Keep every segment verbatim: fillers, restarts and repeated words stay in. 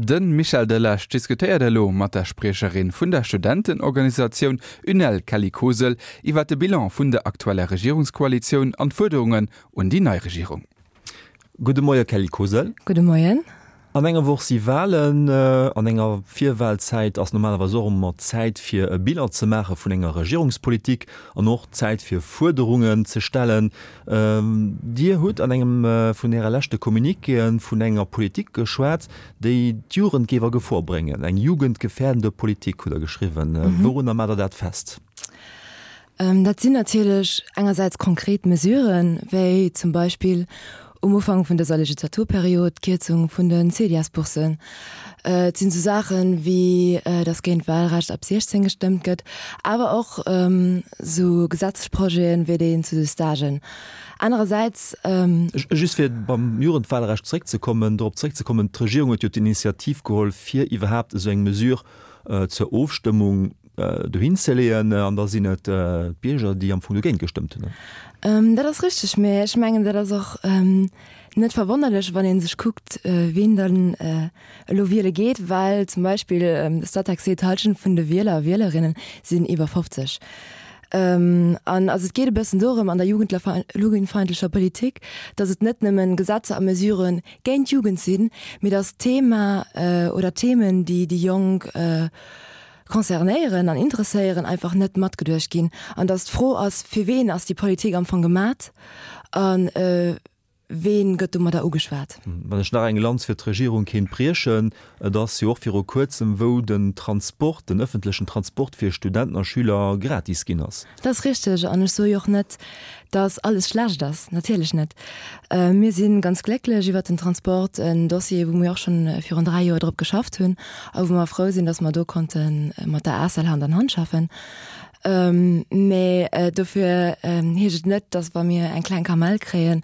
De Michel Delage diskutéiert elo mat der Spriecherin vun der Studentenorganisatioun UNEL Kelly Kosel iwwer de Bilan vun der aktueller Regierungskoalitioun an d'Fuerderungen un déi nei Regierung. Gudde Moie Kelly Kosel. Gudde Moien. An enger Woch si Walen. An enger Virwalzäit ass normalerweis och ëmmer Zäit fir e Bilan ze maache vun enger Regierungspolitik an och Zäit fir Fuerderungen ze stellen. Dir hutt an engem vun Äre leschte Communiquéë vun enger Politik geschwat, déi d'Jugend géif a Gefor bréngen. Eng jugendgefährdende Politik hutt Der geschriwwen. Wourunner maacht Der dat fest? Dat sinn natierlech engersäits konkret Mesuren, wéi zum Beispill um Ufank vun dëser Legislaturperiod d'Kierzung vun de CEDIAS-Bourssen. Et sinn esou Saachen, wéi datt géint d'Wahlrecht ab siechzéng gestëmmt gëtt, awer och esou Gesetzesprojeten, wéi deen zu de Stagen. Anerersäits. Just fir beim Jugendwahlrecht zréckzekommen, dorop zréckzekommen, D'Regierung huet jo d'Initiativ geholl, fir iwwerhaapt esou eng Mesure zur Ofstëmmung dohin ze leeën, an da sinn et d'Bierger, déi am Fong dogéint gestëmmt hunn. Dat ass richteg, mä ech mengen, dat ass och net verwonnerlech, wann ee sech kuckt, wien dann elo wiele geet, well zum Beispill de Statec seet, d'Hallschent vun de Wieler a Wielerinne sinn iwwer fofzeg. An also et geet e bëssen dorëm an der jugendfeindlecher Politik, datt et net nëmmen Gesetzer a Mesurë géint d'Jugend sinn, mee datt d'Thema oder d'Themen, déi déi Jonk concernéieren an interesséieren, einfach net matgeduecht ginn. An datt d'Fro ass, fir ween ass déi Politik am Fong gemat a ween gëtt domadder ugeschwat. Wann ech nach eng Lanz fir d'Regierung kéint briechen, et ass jo och viru Kuerzem, wou den Transport, den ëffentlechen Transport fir Studenten a Schüler gratis ginn ass. Dat ass richteg. An ech soe jo och net, dass alles schlecht ass, natierlech net. Mir si ganz glécklech iwwert den Transport, en Dossier, wou mir och schonn virun dräi Joer drop geschafft hunn a wou mer frou sinn, dass mer do konnte mat der ACEL Hand an Hand schaffen. Mä dofir heescht et net, dass, wa mir eng kleng Kamell kréien,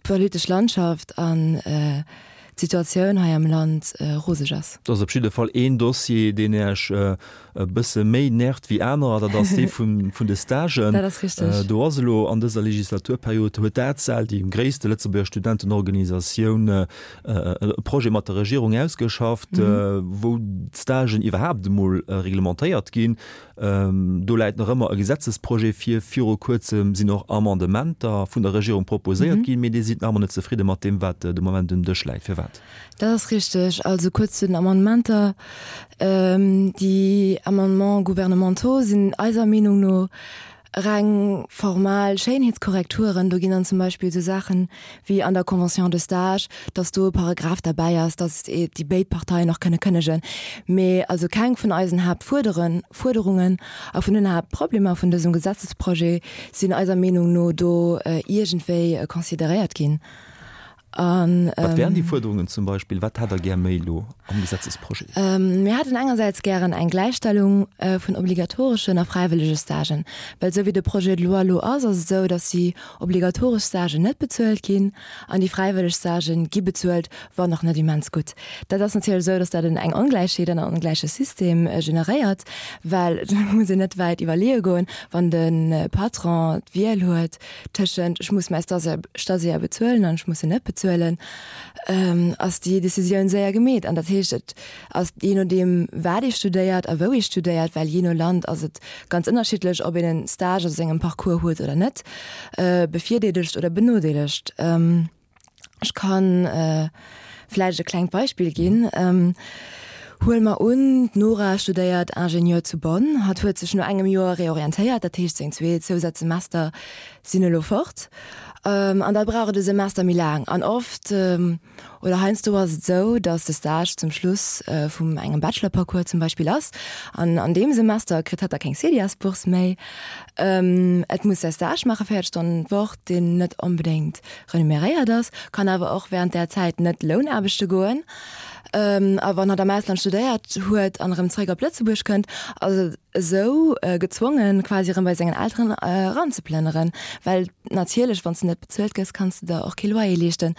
d'politesch Landschaft an d'Situatioun hei am Land roseg ass. Et ass op jidde Fall een Dossier, deen Iech e bësse méi nervt wéi anerer, dat ass dee vun de Stagen. Dat ass richteg. Do ass elo an dëser Legislaturperiod, huet d'ACEL, déi gréisste Lëtzebuerger Studentenorganisatioun, e Projet mat der Regierung ausgeschafft, wou d'Stagen iwwerhaapt emol reglementéiert ginn. Do läit nach ëmmer e Gesetzesprojet vir. Viru Kuerzem sinn och Amendementer vun der Regierung proposéiert ginn, mee Dir sidd nach ëmmer net zefridde mat deem, wat de Moment um Dësch läit. Firwat? Dat ass richteg. Also kuerz zu den Amendementer. Déi Amendements gouvernementaux sinn eiser Meenung no reng formal Schéinheetskorrekturen. Do ginn dann zum Beispill esou Saachen wéi an der Convention de stage, dass do e Paragraph derbäi ass, dass déi béid Parteien och kënne kënnegen. Mee also keng vun eisen Haaptfuerderen, Fuerderungen a vun den Haaptproblemer vun dësem Gesetzesprojet sinn eiser Meenung no do iergendwéi consideréiert ginn. An, Wat wären déi Fuerderungen zum Beispill? Wat hätt Der gär méi elo am Gesetzesprojet? Mir hätten engersäits gären eng Gläichstellung vun obligatoreschen a fräiwëllege Stagen. Well esou wéi de Projet de loi elo ass, ass et esou, datt déi obligatoresch Stagen net bezuelt ginn an déi fräiwëlleg Stagen gi bezuelt, wann och net immens gutt. Dat ass natierlech esou, datt dat eng Ongläichheet an en ongläiche System generéiert, well et muss een net wäit iwwerleeë goen, wann de Patron d'Wiel huet tëschent ech muss mäi Stagiaire bezuelen an ech muss en net bezuelen, ass déi Decisioun séier gemeet. An dat heescht, et ass jee nodeem wat ee studéiert a wou ee studéiert, well jee no Land ass et ganz ënnerschiddlech, ob een e Stage a sengem Parcours huet oder net, bevirdeelegt oder benodeelegt. Ech kann vläicht e klengt Beispill ginn. Huele mer un, d'Nora studéiert Ingenieur zu Bonn. Hatt huet sech no engem Joer reorientéiert, dat heescht seng zwee Zousazsemester sinn elo fort. An da brauch et e Semester méi laang. An oft oder heiansdo ass et esou, datt de Stage zum Schluss vum engem Bachelor-Parcours zum Beispill ass. An an deem Semester kritt hatt da keng CEDIAS-Bourse méi. Et muss säi Stage maache, véiert Stonnen d'Woch, deen net onbedéngt renumeréiert ass, kann awer och wärend där Zäit net Lounaarbechte goen. A wann hatt am Ausland studéiert huet an erëm zréck op Lëtzebuerg kënnt, ass et esou gezwongen, quasi erëm bei sengen Elteren eranzeplënneren, well natierlech, wann s de net bezuelt gëss, kanns de der och kee Loyer leeschten.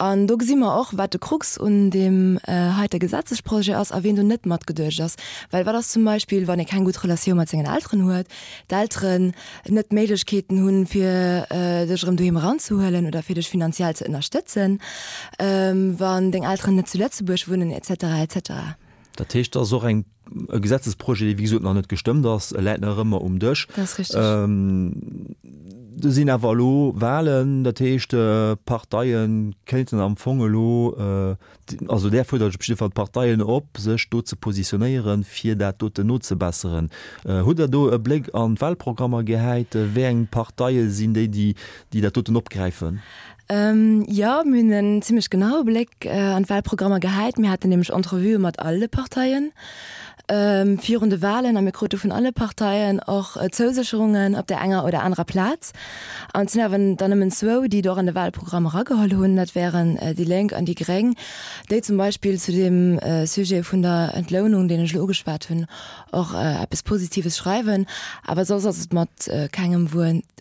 An do gesi mer och, wat de Krux un deem heite Gesetzesprojet ass a wien do net matgeduecht ass. Well wat ass zum Beispill, wann ee keng gutt Relatioun mat sengen Elteren huet, d'Elteren net d'Méiglechkeeten hunn, fir dech erëm doheem eranzehuelen oder fir dech finanziell ze ënnerstëtzen, wann deng Elteren net zu Lëtzebuerg bëlleg wunnen et cetera et cetera. Dat heescht, dat ass och eng, e Gesetzesprojet, dee wéi gesot nach net gestëmmt ass, e läit nach ëmmer um Dësch. Dat ass richteg. Do sinn awer elo Wahlen, dat heescht, d'Parteie kéinten am Fong elo, also där fuerdert ech op jidde Fall d'Parteien op, sech do ze positionéieren, fir dat doten nozebesseren. Hutt Der do e Bléck an d'Wahlprogrammer gehäit? Wéi eng Parteie sinn déi, déi dat doten opgräifen? Jo, mir hunn en zimlech genaue Bléck an d'Wahlprogrammer gehäit. Mir haten nämlech Entrevuë mat all de Parteien virun de Wahlen a mir krute vun alle Parteien och Zousécherungen op där enger oder anerer Plaz. An et sinn awer dann nëmmen zwou, déi et och an de Wahlprogramm erageholl hunn, dat wären déi Lénk an déi Gréng, déi zum Beispill zu deem Sujet vun der Entlounung, deen ech elo ugeschwat hunn, och eppes Positives schreiwen. Awer soss ass et mat kengem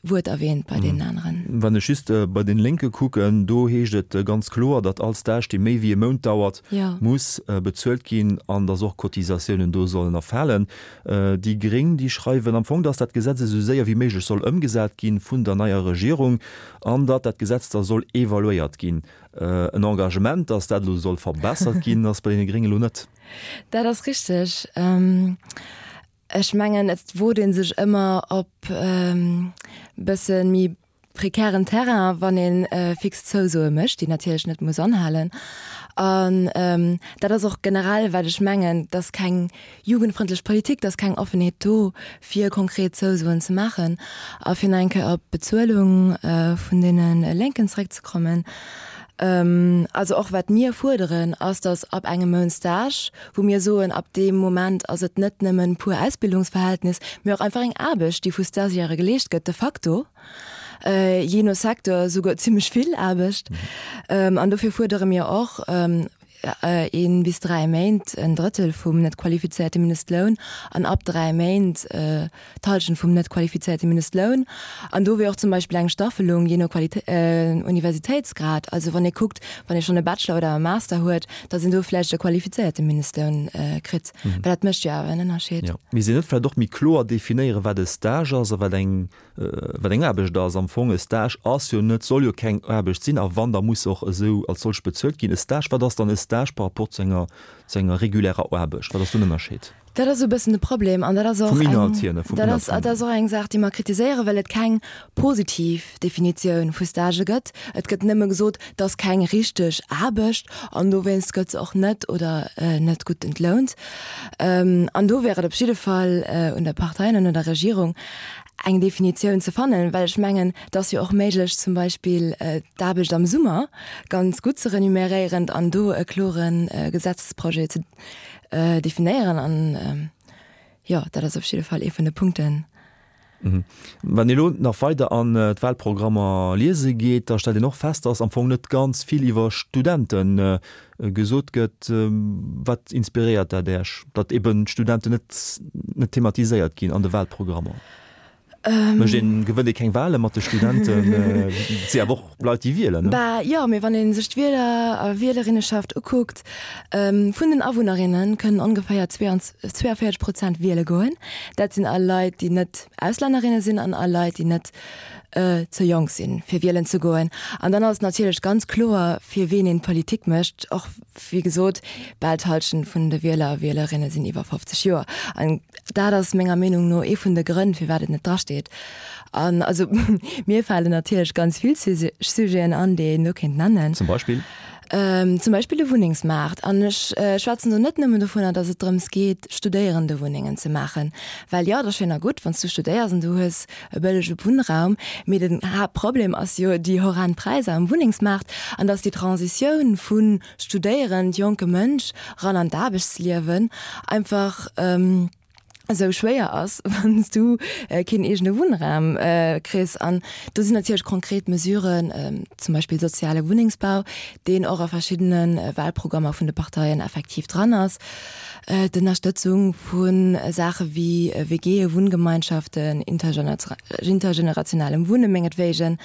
Wuert erwähnt bei deenen aneren. Wann ech just bei den Lénke kucken, do heescht et ganz kloer, datt all Stage, dee méi wéi e Mount dauert, muss bezuelt ginn an datt och Cotisatiounen do sollen erfalen. Déi Gréng, déi schreiwen am Fong, datt dat Gesetz esou séier wéi méiglech soll ëmgesat ginn vun der neier Regierung an datt dat Gesetz da soll evaluéiert ginn. En Engagement, datt dat elo soll verbessert ginn, ass bei deene Gréngen elo net. Dat ass richteg. Ech mengen, et wot ee sech ëmmer op e bësse méi prekären Terrain, wann ee fix Zousoe mécht, déi natierlech net muss anhalen. An dat ass och generell, wat ech mengen, et ass keng jugendfrëndlech Politik, et ass keng Offenheet do, fir konkret Zousoen ze maachen. A fir nach eng Kéier op d'Bezuelung vun deene Lénken zeréckzekommen, Also och wat mir fuerderen, ass, datt ab engem Mount Stage, wou mir soen, ab deem Moment ass et net nëmmen pur Ausbildungsverhältnis, mee och einfach eng Aarbecht, déi vu Stagiairë geleescht gëtt, de facto, jee no Secteur souguer zimlech vill Aarbecht. An dofir fuerdere mir och ee bis dräi Méint en Drëttel vum net qualifizéierte Mindestloun an ab dräi Méint d'Hallschent vum net qualifizéierte Mindestloun. An do wier och zum Beispill eng Staffelung jee no Universitéitsgrad, also wann ee kuckt, wann ee schonn e Bachelor oder e Master huet, datt een do vläicht e qualifizéierte Mindestloun kritt, well dat mécht jo awer en Ënnerscheed. Jo, misst een net vläicht och méi kloer definéieren, wat e Stage ass a wat eng wat eng Aarbecht ass. Am Fong, e Stage ass jo net, soll jo keng Aarbecht sinn, a wann, da muss se och esou als solch bezuelt ginn. E Stage, wat ass dann e Stage par rapport zu enger, zu enger regulärer Aarbecht? Wat ass do den Ënnerscheed? Dat ass e bëssen de Problem an dat ass och Vum eng, Inhalt hier, ne? Vum dat Inhalt ass, vum. dat ass och eng Saach, déi mer kritiséieren, well et keng positiv Definitioun vu Stagë gëtt. Et gëtt nëmme gesot, et ass keng richteg Aarbecht an dowéinst gëtt se och net oder net gutt entlount. An do wär et op jidde Fall un der Partei an un der Regierung, eng Definitioun ze fannen, well ech mengen, et ass jo och méiglech zum Beispill d'Aarbecht am Summer ganz gutt ze renuméréieren an do e klore Gesetzesprojet ze definéieren. An jo, dat ass op jidde Fall ee vun de Punkten. Wann ee elo nach weider an d'Wahlprogrammer liese geet, da stellt een och fest, dass am Fong net ganz vill iwwer Studente gesot gëtt. Wat inspiréiert dat Iech, datt eben d'Studenten net net thematiséiert ginn an de Wahlprogrammer? Mécht een, gewënnt ee keng Wahle mat de Studenten? Et si awer och Leit, déi wielen, ne? Bah jo, mee wann ee sech d'Wieler a Wielerinneschaft ukuckt, vun den Awunnerinne kënnen ongeféier zweiundvéierzeg Prozent wiele goen. Dat sinn all Leit, déi net Auslännerinne sinn an all Leit, déi net ze jonk sinn, fir wielen ze goen. An dann ass et natierlech ganz kloer, fir ween een Politik mécht. Och, wéi gesot, bal d'Hallschent vun de Wieler a Wielerinne sinn iwwer fofzeg Joer. An dat ass menger Meenung no ee vun de Grënn, firwat et net drasteet. An also mir falen natierlech ganz vill Sujeten an, déi een do kéint nennen. Zum Beispill? Zum Beispill de Wunnengsmaart. An ech schwätzen do net nëmmen dovunner, datt et drëms geet, Studéierendewunnengen ze maachen. Well jo, et ass schéin a gutt, wann s du studéiers an du hues e bëllege Wunnraum, mee den Haaptproblem ass jo déi horrend Präisser am Wunnengsmaart an datt déi Transitioun vu studéierend jonke Mënsch ran an d'Aarbechtsliewen einfach esou schwéier ass, wann s du keen eegene Wunnraum kriss. An do sinn natierlech konkret Mesuren, zum Beispill soziale Wunnengsbau, deen och a verschiddene Wahlprogrammer vun de Parteien effektiv dran ass, d'Ënnerstëtzung vu Saache wéi W G, Wunngemeinschaften, intergenerationalem Wunne mengetwegen,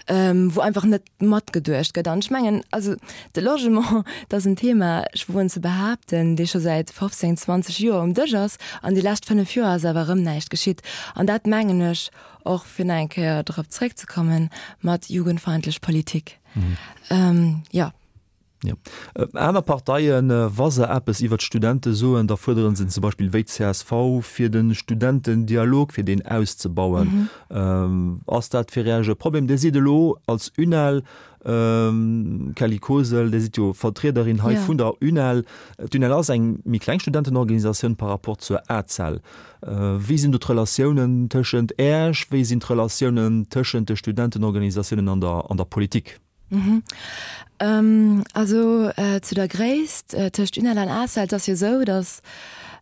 wou einfach net matgeduecht gëtt. An ech mengen, also de Logement, dat ass en Thema, ech woen ze behaapten, dee scho säit fofzéng, zwanzeg Joer um Dësch ass. An déi lescht fënnef Joer ass awer erëm näischt geschitt. An dat mengen ech och, fir nach eng Kéier drop zréckzekommen, mat jugendfeindlech Politik. Jo. Jo. Aner Parteien, wa se eppes iwwert d'Studente soen, da fuerderen se zum Beispill wéi d'CSV, fir de Studentendialog, fir deen auszebauen. Ass dat fir Iech e Problem? Dir sidd elo als UNEL, Kelly Kosel, Dir sidd jo Vertriederin hei vun der UNEL. D'UNEL ass eng méi kleng Studentenorganisatioun par rapport zur ACEL. Wéi sinn do d'Relatiounen tëschent Iech? Wéi sinn d'Relatiounen tëschent de Studentenorganisatiounen an der, an der Politik? Mhm. Ähm, also äh, zu der Gréisst äh, tëscht UNEL an ACEL, et ass jo esou, datt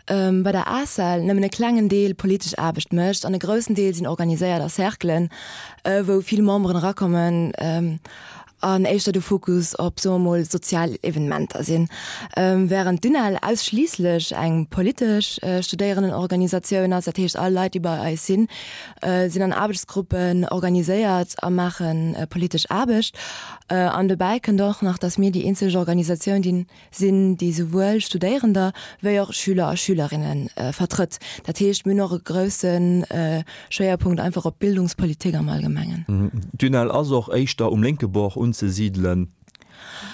ähm, bei der ACEL nëmmen e klengen Deel politesch Aarbecht mécht an e groussen Deel sinn organiséiert a Cerclen, äh, wou vill Memberen erakommen ähm, an éischter de Fokus op, soe mer mol, sozial Evenementer sinn. Ähm, während d'UNEL ausschliisslech eng politesch äh, Studéierendenorganisatioun ass, dat heescht all Leit, déi bei eis sinn, sinn an Aarbechtsgruppen organiséiert a maache politesch Aarbecht. An dobäi kënnt och nach, datt mir déi eenzeg Organisatioun déi sinn, déi souwuel Studéierender wéi och Schüler a Schülerinne vertrëtt. Dat heescht, mir hunn och e grousse Schwéierpunkt einfach op Bildungspolitik am Allgemengen. D'UNEL ass och éischter um lénke Bord unzesidelen.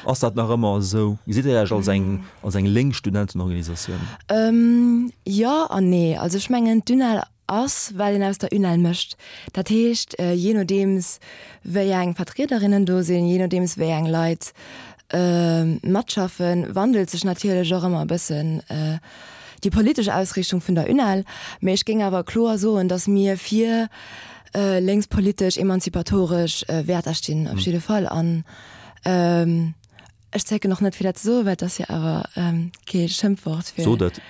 Ass dat nach ëmmer esou? Gesitt Dir Iech als eng, als eng lénk Studentenorganisatioun? Jo an nee. Also ech mengen, d'UNEL ass, wat een aus der UNEL mécht. Dat heescht, jee nodeems wéi eng Vertriederinnen do sinn, jee nodeems wéi eng Leit matschaffen, wandelt sech natierlech och ëmmer e bëssen déi politesch Ausrichtung vun der UNEL. Mee ech géing awer kloer soen, datt mir fir lénkspolitesch, emanzipatoresch Wäerter stinn, op jidde Fall. An ech zécken och net fir dat ze soen, well et ass jo awer kee Schëmpfwort fir Sot et.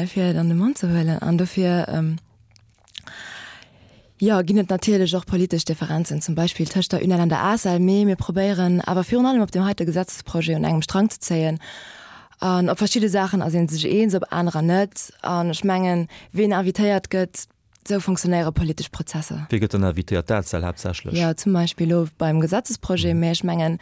fir et an de Mond ze huelen. An dofir, jo, ginn et natierlech och politesch Differenzen, zum Beispill tëscht der UNEL an der ACEL, mee mir probéieren awer virun allem op deem heite Gesetzesprojet un engem Strang ze zéien. An op verschidde Saachen ass ee sech eens, op anerer net. An ech mengen, ween invitéiert gëtt, Esou funktionéiere politesch Prozesser. Wie gëtt dann invitéiert? D'ACEL haaptsächlech? Jo, zum Beispill elo beim Gesetzesprojet. Mä ech mengen,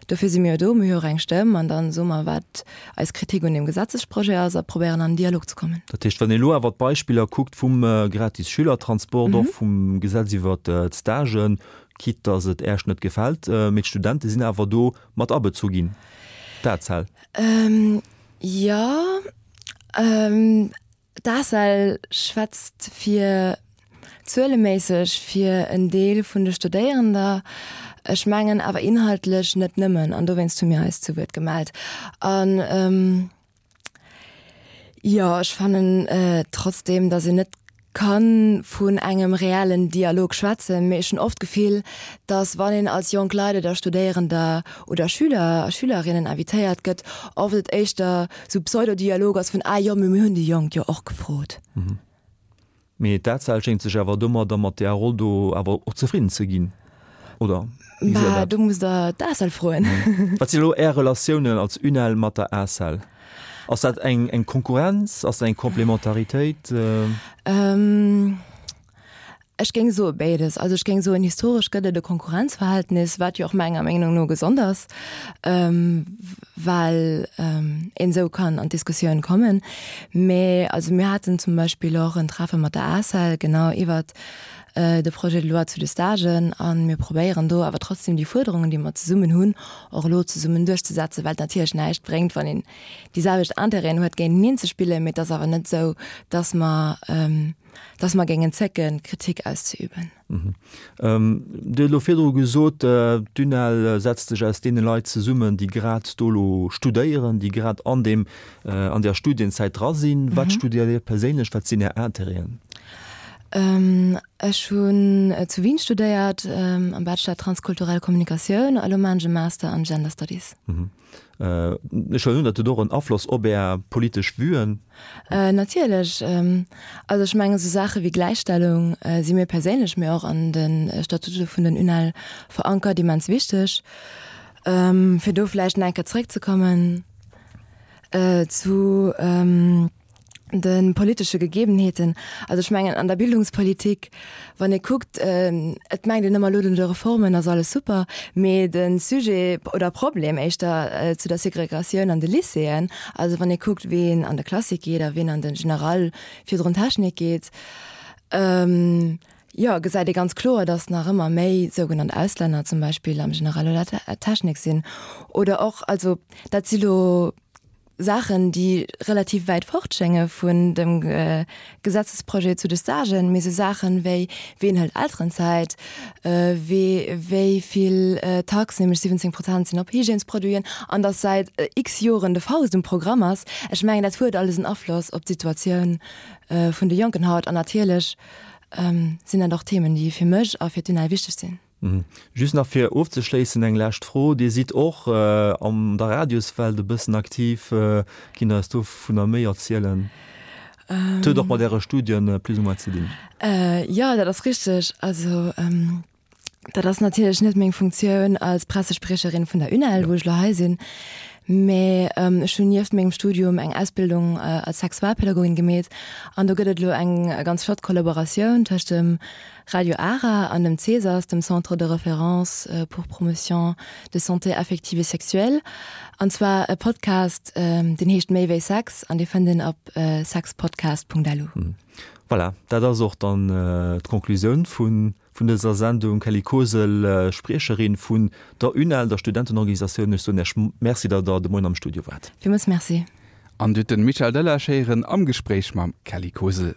dofir si mir jo do. Mir hu jo och eng Stëmm an da soe mer, wat eis Kritik un deem Gesetzesprojet ass a probéieren an den Dialog ze kommen. Dat heescht, wann een elo awer d'Beispiller kuckt vum gratis Schülertransport, och vum Gesetz iwwert d'Stagen, quitte datt et Äech net gefält, mee d'Studente sinn awer do mat abezu ginn, d'ACEL. Jo. D'ACEL schwätzt fir zueleméisseg fir en Deel vun de Studéierender, ech mengen awer inhaltlech net nëmmen, an dowéinst hu mir eis zu Wuert gemellt. An jo, ech fannen trotzdeem, datt een net ka vun engem reellen Dialog schwätzen, mee ech hunn oft d'Gefill, datt wann een als jonk Leit oder Studéierender oder Schüler a Schülerinnen invitéiert gëtt, oft et éischter sou Pseudo-Dialog ass vun, ah jo, mee mir hunn déi Jonk jo och gefrot. Mee d'ACEL schéngt sech awer domadder, mat där Roll do awer och zefridden ze ginn, oder? Wéi gesitt Der dat? Do musst Der d'ACEL froen. Wat sinn elo Är Relatiounen als UNEL mat der ACEL? Ass dat eng eng Konkurrenz? Ass dat eng Komplementaritéit? Ech géing soe béides. Also ech géing soen, historesch gëtt et e Konkurrenzverhältnis, wat jo och menger Meenung no gesond ass, well een esou kann an d'Diskussioun kommen. Mä also mir haten zum Beispill och en Treffe mat der ACEL genau iwwert de Projet de loi zu de Stagen a mir probéieren do awer trotzdem déi Fuerderungen, déi mer zesummen hunn, och elo zesummen duerchzesetzen, well et natierlech näischt bréngt, wann een déi selwecht Intérêten huet, géinteneen ze spillen. Mee et ass awer net esou, dass mer, dass mer géingen zécken, Kritik auszeüben. Dir hutt elo virdru gesot, d'UNEL setzt sech aus deene Leit zesummen, déi grad do elo studéieren, déi grad an deem, an där Studienzäit dra sinn. Wat studéiert Dir perséinlech? Wat sinn Är Intérêten? Ech hunn zu Wien studéiert, am Bachelor Transkulturell Kommunikatioun a lo maachen ech e Master an Gender Studies. Ech huelen un, dat huet och en Afloss op Är politesch Vuen? Natierlech. Also ech mengen, esou Saache wéi Gläichstellung si mir perséinlech, mee och an de Statute vun den UNEL verankert, immens wichteg. Fir do vläicht nach eng Kéier zréckzekommen zu de politesche Gegebenheeten. Also ech mengen an der Bildungspolitik, wann ee kuckt, et mengt een ëmmer elo no de Reformen ass alles super, mee de Sujet oder Problem éischter zu der Segregatioun an de Lycéeën, also wann ee kuckt ween an de Classique geet a ween an de General virdrun Technik geet, jo, gesäit ee ganz kloer, dass nach ëmmer méi sougenannt Auslänner zum Beispill am General oder Technik sinn. Oder och, also dat si lo Saachen, déi relativ wäit fort schénge vun dem Gesetzesprojet zu de Stagen, mee esou Saachen wéi, ween hëlt Elterenzäit, wee, wéi vill Taxen, nämlech siwwenzéng Prozent sinn op Hygiènesproduiten, an dass säit x Joren de Faust um Programm ass. Ech mengen, dat huet alles en Afloss op d'Situatioun vun de Jonken haut. An natierlech sinn dat och Themen, déi fir mech a fir d'UNEL wichteg sinn. Just nach fir ofzeschléissen eng lescht Fro, Dir sidd och an der Radioswelt e bëssen aktiv. Kinnt Der eis dovunner méi erzielen? Et huet och mat Äre Studien plus ou moins ze dinn. Jo, dat ass richteg. Also dat ass natierlech net meng Funktioun als Pressespriecherin vun der UNEL, wou ech elo hei sinn, mä ech hunn nieft mengem Studium eng Ausbildung als Sexualpädagogin gemeet an do gëtt et elo eng ganz flott Kollaboratioun tëscht dem Radio Ara an dem CESAS, dem Centre de référence pour promotion de santé affective et sexuelle, an zwar e Podcast, deen heescht Méi wéi Sex an dee fënnt een op sexpodcast.lu. Voilà, dat ass och dann d'Conclusioun vun dëser Sendung. Kelly Kosel, Spriecherin vun der UNEL, der Studentenorganisatioun, ech soen Iech Merci, datt Der de Moien am Studio waart. Villmools Merci. An Dir hutt de Michel Delage héieren am Gespréich mam Kelly Kosel.